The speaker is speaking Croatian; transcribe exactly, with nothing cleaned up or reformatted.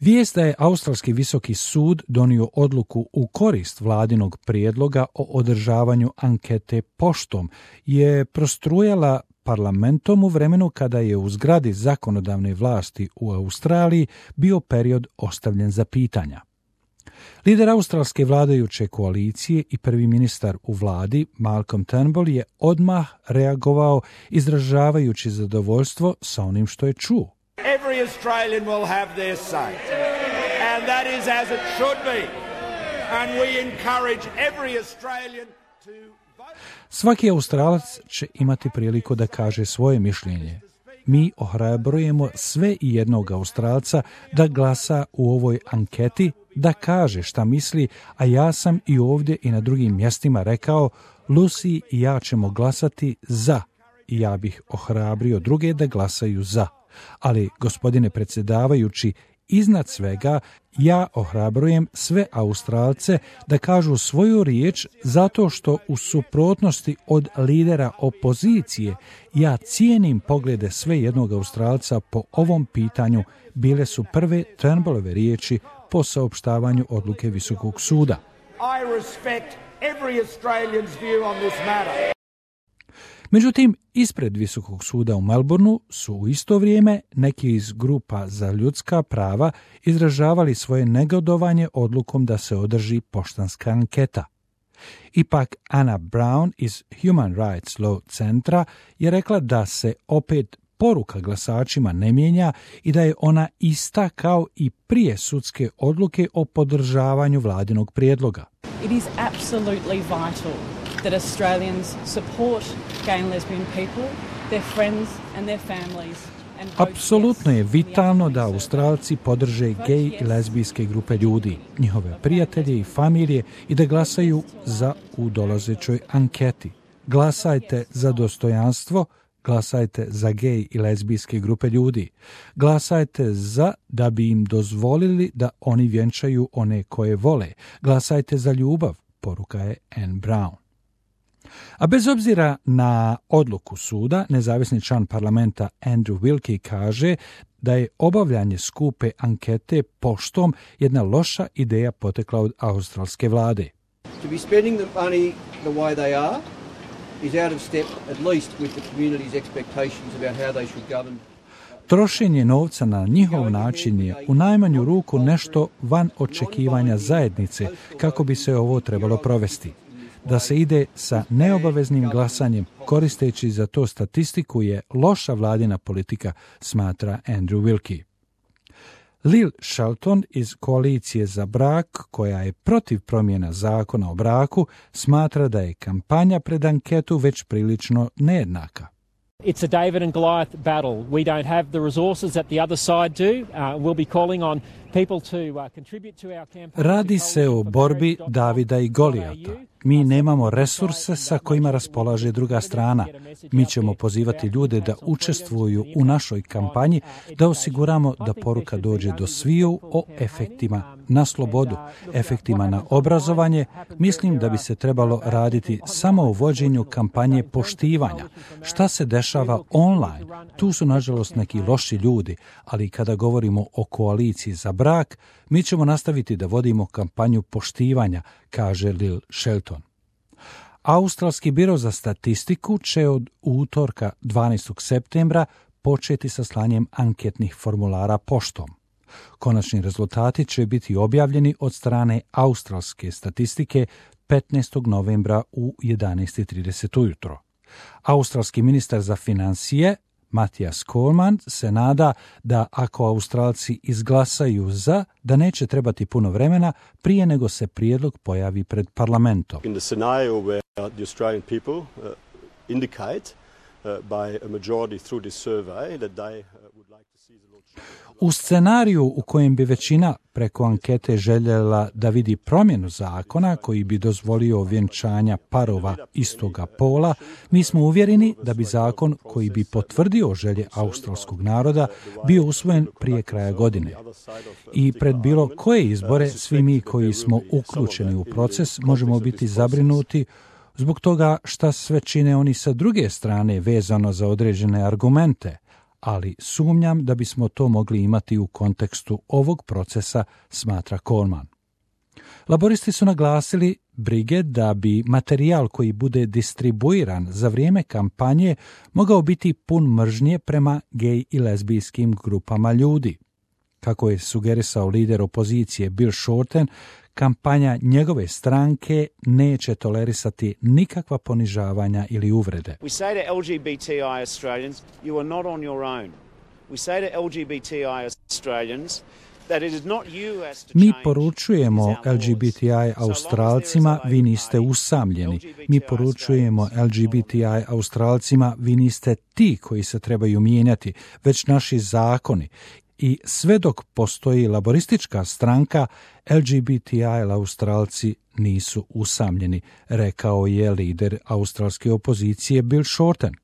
Vijest da je Australski visoki sud donio odluku u korist vladinog prijedloga o održavanju ankete poštom je prostrujala parlamentom u vremenu kada je u zgradi zakonodavne vlasti u Australiji bio period ostavljen za pitanja. Lider australske vladajuće koalicije i prvi ministar u vladi, Malcolm Turnbull, je odmah reagovao izražavajući zadovoljstvo sa onim što je čuo. Every Australian will have their say, and that is as it should be, and we encourage every Australian to vote. Svaki Australac će imati priliku da kaže svoje mišljenje. Mi ohrabrujemo sve i jednog Australca da glasa u ovoj anketi, da kaže šta misli, a ja sam i ovdje i na drugim mjestima rekao, Lucy i ja ćemo glasati za, i ja bih ohrabrio druge da glasaju za. Ali, gospodine predsjedavajući, iznad svega ja ohrabrujem sve Australce da kažu svoju riječ zato što u suprotnosti od lidera opozicije ja cijenim poglede sve jednog Australca po ovom pitanju, bile su prve Turnbullove riječi po saopštavanju odluke Visokog suda. I respect every Australian's view on this matter. Međutim, ispred Visokog suda u Melbourneu su u isto vrijeme neki iz grupa za ljudska prava izražavali svoje negodovanje odlukom da se održi poštanska anketa. Ipak Anna Brown iz Human Rights Law centra je rekla da se opet poruka glasačima ne mijenja i da je ona ista kao i prije sudske odluke o podržavanju vladinog prijedloga. It is absolutely vital that Australians support gay and lesbian people, their friends and their families. Apsolutno je vitalno da Australci podrže gej i lezbijske grupe ljudi, njihove prijatelje i familije i da glasaju za u dolazećoj anketi. Glasajte za dostojanstvo, glasajte za gej i lezbijske grupe ljudi. Glasajte za da bi im dozvolili da oni vjenčaju one koje vole. Glasajte za ljubav, poruka je Anne Brown. A bez obzira na odluku suda, nezavisni član parlamenta Andrew Wilkie kaže da je obavljanje skupe ankete poštom jedna loša ideja potekla od australske vlade. To be spending the money the way they are is out of step at least with the community's expectations about how they should govern. Trošenje novca na njihov način je u najmanju ruku nešto van očekivanja zajednice kako bi se ovo trebalo provesti. Da se ide sa neobaveznim glasanjem koristeći za to statistiku je loša vladina politika, smatra Andrew Wilkie. Lil Shelton iz Koalicije za brak, koja je protiv promjena zakona o braku, smatra da je kampanja pred anketu već prilično nejednaka. It's a David and Goliath battle. We don't have the resources that the other side do. Uh, we'll be calling on people to uh, contribute to our campaign. Radi se o borbi Davida i Golijata. Mi nemamo resurse sa kojima raspolaže druga strana. Mi ćemo pozivati ljude da učestvuju u našoj kampanji, da osiguramo da poruka dođe do sviju o efektima na slobodu, efektima na obrazovanje. Mislim da bi se trebalo raditi samo o vođenju kampanje poštivanja. Šta se dešava online? Tu su nažalost neki loši ljudi, ali kada govorimo o koaliciji za brak, mi ćemo nastaviti da vodimo kampanju poštivanja, kaže Lil Shelton. Australski biro za statistiku će od utorka dvanaestog septembra početi sa slanjem anketnih formulara poštom. Konačni rezultati će biti objavljeni od strane australske statistike petnaestog novembra u jedanaest i trideset ujutro. Australski ministar za financije Matthias Coleman se nada da ako Australci izglasaju za, da neće trebati puno vremena prije nego se prijedlog pojavi pred parlamentom. In the scenario where the Australian people uh, indicate uh, by a majority through this survey that they uh, would like to see the law change. U scenariju u kojem bi većina preko ankete željela da vidi promjenu zakona koji bi dozvolio vjenčanja parova istoga pola, mi smo uvjereni da bi zakon koji bi potvrdio želje australskog naroda bio usvojen prije kraja godine. I pred bilo koje izbore, svi mi koji smo uključeni u proces možemo biti zabrinuti zbog toga šta sve čine oni sa druge strane vezano za određene argumente, ali sumnjam da bismo to mogli imati u kontekstu ovog procesa, smatra Coleman. Laboristi su naglasili brige da bi materijal koji bude distribuiran za vrijeme kampanje mogao biti pun mržnje prema gej i lezbijskim grupama ljudi. Kako je sugerisao lider opozicije Bill Shorten, kampanja njegove stranke neće tolerisati nikakva ponižavanja ili uvrede. We say to L G B T I Australians, you are not on your own. We say to L G B T I Australians that it is not you as to Mi change poručujemo these our L G B T I laws. Australcima, vi niste usamljeni. Mi poručujemo L G B T I Australcima, vi niste ti koji se trebaju mijenjati, već naši zakoni. I sve dok postoji laboristička stranka, L G B T I Australci nisu usamljeni, rekao je lider australske opozicije Bill Shorten.